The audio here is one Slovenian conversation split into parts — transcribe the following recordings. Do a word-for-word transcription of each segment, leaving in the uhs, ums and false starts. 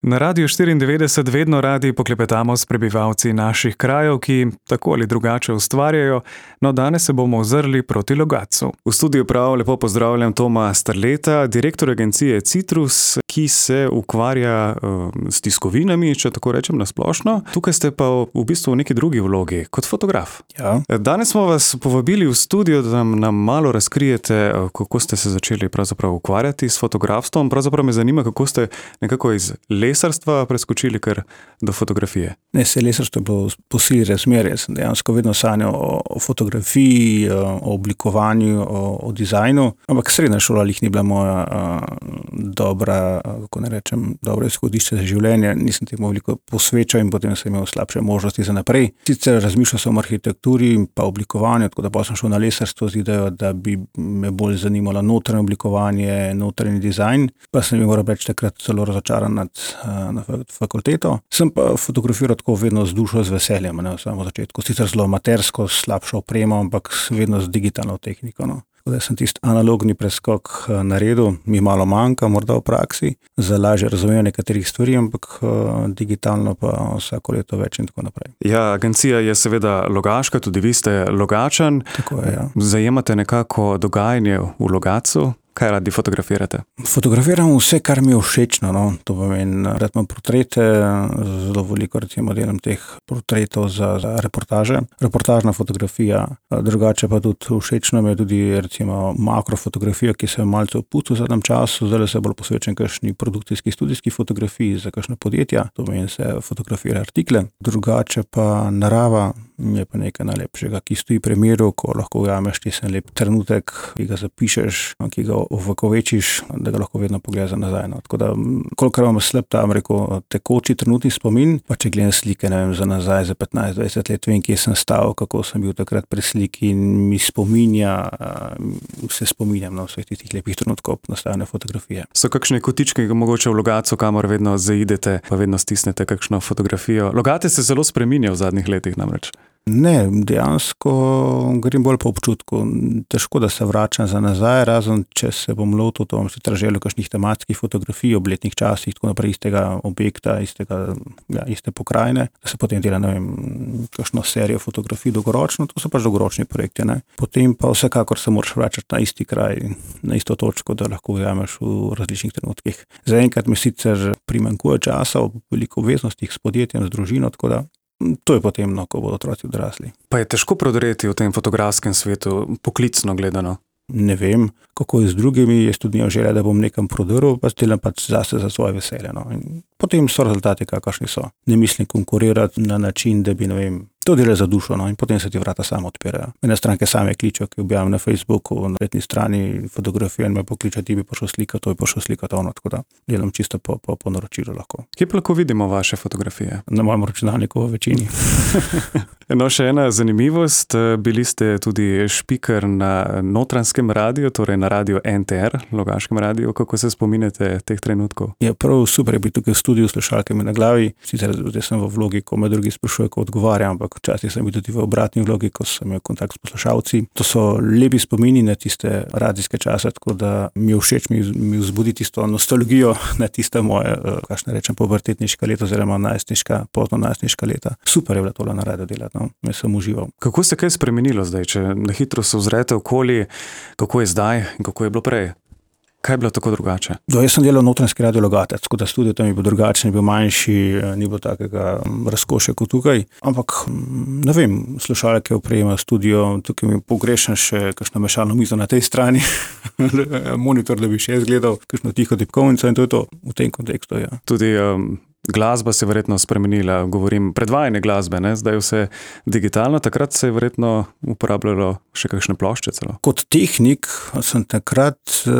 Na Radiu štiriindevetdeset vedno radi poklepetamo s prebivalci naših krajev, ki tako ali drugače ustvarjajo, no danes se bomo ozrli proti Logatcu. V studiu prav lepo pozdravljam Toma Strleta, direktor agencije Citrus, ki se ukvarja uh, s tiskovinami, če tako rečem na splošno. Tukaj ste pa v bistvu v neki drugi vlogi, kot fotograf. Ja. Danes smo vas povabili v studio, da nam, nam malo razkrijete, kako ste se začeli pravzaprav ukvarjati s fotografstvom. Pravzaprav me zanima, kako ste nekako iz lesarstva preskočili kar do fotografije. Ne, se lesarstvo je bilo po sili razmerje. Sem dejansko vedno sanjal o, o fotografiji, o oblikovanju, o, o dizajnu, ampak srednja šola lih ni bila moja a, dobra, kako ne rečem, dobro izhodišče za življenje. Nisem temu veliko posvečal in potem sem imel slabše možnosti za naprej. Sicer razmišljal sem o arhitekturi in pa oblikovanju, tako da pa sem šel na lesarstvo z idejo, da bi me bolj zanimalo notranje oblikovanje, notranji dizajn, pa sem moral reči takrat zelo razočaran nad na fakulteto. Sem pa fotografiral tako vedno z dušo, z veseljem, ne, v samem začetku. Sicer zelo amatersko, slabšo opremo, ampak vedno z digitalno tehniko. No. Tako da sem tisti analogni preskok naredil, mi malo manjka, morda v praksi, za lažje razumevanje nekaterih stvari, ampak digitalno pa vsako leto več in tako naprej. Ja, agencija je seveda Logaška, tudi vi ste Logačan. Tako je, ja. Zajemate nekako dogajanje v Logatcu. Kaj radi fotografirate? Fotografiram vse, kar mi je všečno. No. To pomeni, rad imam portrete, zelo veliko recimo delam teh portretov za, za reportaže. Reportažna fotografija, drugače pa tudi všečno mi je tudi recimo makrofotografija, ki se je malce opucal v zadnjem času, zdaj se bolj posvečam kakšni produkcijski, studijski fotografiji za kakšne podjetja, to pomeni se fotografira artikle. Drugače pa narava je pa nekaj najlepšega, ki stoji pri miru, ko lahko ujameš tisti lep trenutek, ki ga zapišeš, ki ga ovekovečiš, da ga lahko vedno pogledaš nazaj. No. Tako da, kolikor imam slab tam, rekel, tekoči trenutni spomin, pa če gledam slike, ne vem, za nazaj, za petnajst dvajset let, vem, kje sem stal, kako sem bil takrat pri sliki in mi spominja, se spominjam na vseh tistih lepih trenutkov nastajanja fotografije. So kakšne kotičke, mogoče v Logatcu, kamor vedno zaidete, pa vedno stisnete kakšno fotografijo? Logatec se zelo spreminja v zadnjih letih namreč. Ne, dejansko grem bolj po občutku. Težko, da se vračam za nazaj, razen če se bom lotil, to bom sicer želel kakšnih tematskih fotografij, obletnih časih, tako naprej istega objekta, istega, ja, iste pokrajine, da se potem dela, ne vem, kakšno serijo fotografij dolgoročno, to so pač dolgoročni projekti, ne. Potem pa vsekakor se moraš vračati na isti kraj, na isto točko, da lahko ujameš v različnih trenutkih. Zaenkrat mi sicer primanjkuje časa, veliko obveznostih s podjetjem, z družino, tako da to je potem, no, ko bodo otroci odrasli. Pa je težko prodreti v tem fotografskem svetu, poklicno gledano? Ne vem, kako je z drugimi, jaz tudi nimam želja, da bom nekam prodrl, pa delam pač zase za svoje veselje. No. In potem so rezultati, kakršni so. Ne mislim konkurirati na način, da bi, ne vem, to dela za dušo, no, in potem se ti vrata samo odpirajo. Mene stranke same kličejo, ki objavim na Facebooku, na spletni strani fotografijo in me pokličejo, ti bi pošel slikati, to bi pošel slikati ono, tako da delam čisto po, po, po naročilu lahko. Kje pa lahko vidimo vaše fotografije? Na mojem računalniku v večini. No, še ena zanimivost, bili ste tudi špiker na Notranjskem radiju, torej na radiju N T R, Logaškem radiju. Kako se spominjate teh trenutkov? Ja, prav super je biti tukaj v studiu s slušalkami na glavi. Sicer zdaj sem v vlogi, ko me drugi sprašujejo, ko odgovarjam, ampak včasih sem bil tudi v obratni vlogi, ko sem imel kontakt s poslušalci. To so lepi spomini na tiste radijske čase, tako da mi je všeč, mi, mi vzbudi tisto nostalgijo na tiste moje, kakšne rečem, pubertetniška leta oziroma najstniška, pozno najstniška leta. Super je bilo tole na radiju delati, no. Me sem užival. Kako se kaj spremenilo zdaj, če na hitro se ozrete okoli, kako je zdaj in kako je bilo prej? Kaj je bilo tako drugače? Do, jaz sem delal Notranjski radio Logatec, tako da studio tam je bil drugačen, je bil manjši, ni bilo takega razkošja kot tukaj. Ampak, ne vem, slušalke, oprema, studio, tukaj mi pogrešam še kakšno mešalno mizo na tej strani, monitor, da bi še jaz gledal, kakšno tiho tipkovnico in to je to v tem kontekstu, ja. Tudi um... glasba se je verjetno spremenila, govorim predvajanje glasbe, ne? Zdaj je vse digitalno, takrat se je verjetno uporabljalo še kakšne plošče celo. Kot tehnik sem takrat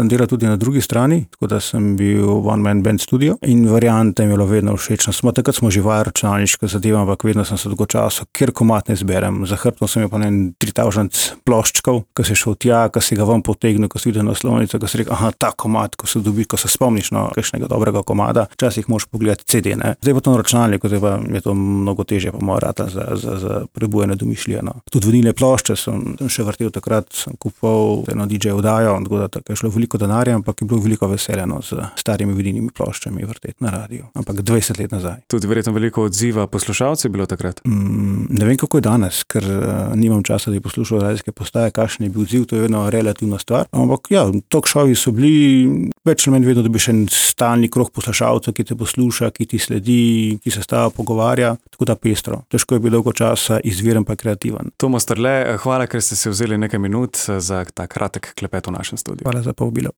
delal tudi na drugi strani, tako da sem bil one man band studio in variante mi je bilo vedno všečno. Smo, takrat smo živali računalniške zadeve, ampak vedno sem se dolgo časa, kjer komad ne zberem. Za hrbtom sem imel pa ne tri tisoč ploščkov, ko si šel tja, ko si ga ven potegnil, ko si videl naslovnico, ko si rekel, aha, ta komad, ko se dobi, ko se spomniš na kakšnega dobrega komada, včasih moraš pogledati C D, Ne. Zdaj pa to na računalniku, zdaj pa je to mnogo težje, pa moja rata za, za, za prebujanje domišljije. No. Tudi vinilne plošče sem, sem še vrtel takrat, sem kupoval eno D J oddajo, tako da tako je šlo veliko denarja, ampak je bilo veliko veseljeno z starimi vinilnimi ploščami vrteti na radiju. Ampak dvajset let nazaj. Tudi verjetno veliko odziva poslušalcev je bilo takrat? Mm, ne vem, kako je danes, ker uh, nimam časa, da bi poslušal radijske postaje, kakšen je bil odziv, to je vedno relativna stvar. Ampak ja, talk showi so bili več ali manj vedno, da bi še en stalni krog poslušalcev, ki te posluša, ki ti sledi, ki se stava pogovarja, tako da pestro. Težko je bilo dolgo časa, izviren pa kreativen. Tomaž Strle, hvala, ker ste si vzeli nekaj minut za ta kratek klepet v našem studiu. Hvala za povabilo.